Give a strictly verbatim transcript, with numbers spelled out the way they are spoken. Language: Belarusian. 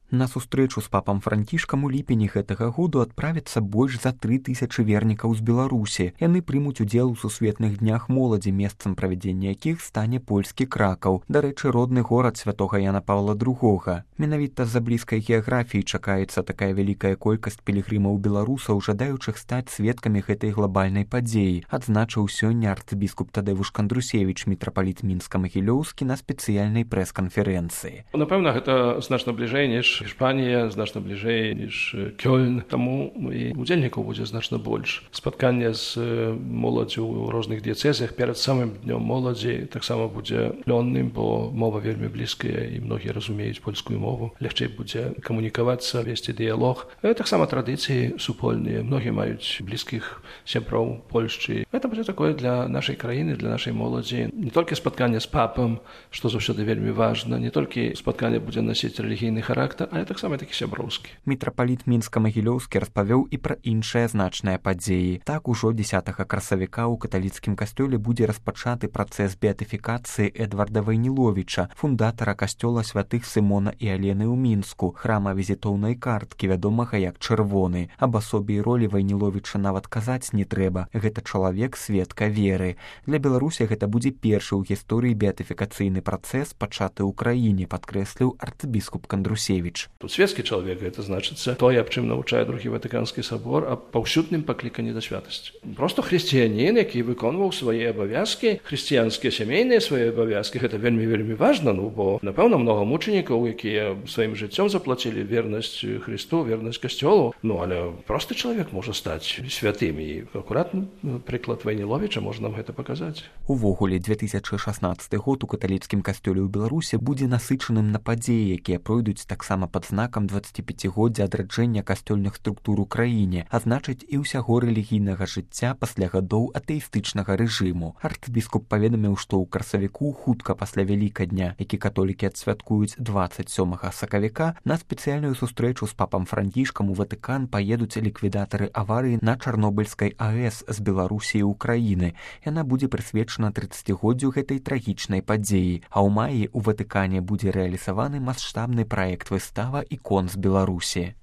На сустрэчу з папам Францішкам у ліпені гэтага году адправіцца больш за тры тысячы вернікаў з Беларусі. Яны прымуць удзел у сусветных днях моладзі, месцам правядзення якіх стане польскі Кракаў. Дарэчы, родны горад святога Яна Паўла другога. Менавіта з-за блізкай геаграфіі чакаецца такая вялікая колькасць пілігрымаў беларусаў, жадаючых стаць сведкамі гэтай глобальнай падзеі, адзначыў сёння арцыбіскуп Тадэвуш Кандрусевіч, мітрапаліт Мінска-Магілёўскі, на спецыяльнай прэс-канферэнцыі. Напэўна, гэта значна бліжэй, ніж Hiszpania, значна бліжэй, ніж Кёльн. Таму і удзельнікаў будзе значна больш. Спатканне з моладдзю ў розных дыяцэзах перад самым днём моладзі таксама будзе плённым, бо мова вельмі блізкая і многія разумеюць польскую мову. Лягчэй будзе камунікавацца, весці дыялог. Таксама традыцыі супольныя. Многія маюць блізкіх сяброў Польшчы. Гэта будзе такое для нашай краіны, для нашай моладзі. Не толькі спатканне з папам, што заўсёды вельмі важна, не толькі спатканне будзе насіць рэлігійны характар, але таксама такі сяброўскі. Мітрапаліт Мінска-Магілёўскі распавёў і пра іншыя значныя падзеі. Так, ужо дзесятага красавіка ў каталіцкім касцёле будзе распачаты працэс беатыфікацыі Эдварда Вайніловіча, фундатара касцёла святых Сымона і Алены ў Мінску, храма візітоўнай карткі, вядомага як Чырвоны. Аб асобе і ролі Вайніловіча нават казаць не трэба. Гэта чалавек сведка веры. Для Беларусі гэта будзе першы ў гісторыі беатыфікацыйны працэс, пачаты ў краіне, падкрэсліў арцыбіскуп Кандрусевіч. Тут светскі чалавек, гэта значыцца тое, аб чым навучае другі Ватыканскі сабор, аб паўсюдным пакліканні да святасці. Просто хрысціянін, які выконваў свае абавязкі, хрысціянскія сямейныя свае абавязкі, гэта вельмі вельмі важна, ну бо напэўна многа мучанікаў, якія сваім жыццём заплацілі вернасць Христу, вернасць касцёлу. Ну але просты чалавек можа стаць святым, і акуратны прыклад Вайніловіча можа нам гэта паказаць. Увогуле, две тысячы шаснаццаты год у каталіцкім касцёле ў Беларусі будзе насычаным на падзеі, якія пройдуць таксама пад знакам дваццаціпяцігоддзя адраджэння касцёльных структур у краіне, а значыць і ўсяго рэлігійнага жыцця пасля гадоў атэістычнага рэжыму. Арцыбіскуп паведаміў, што ў красавіку хутка пасля Вялікадня, які католікі адсвяткуюць дваццаць сёмага сакавіка, на спецыяльную сустрэчу з папам Францішкам у Ватыкан паедуць ліквідатары аварыі на Чарнобыльскай АЭС з Беларусі і Украіны. Яна будзе прысвечана трыццацігоддзю гэтай трагічнай падзеі, а ў маі ў Ватыкане будзе рэалізаваны маштабны праект выстава ікон з Беларусі.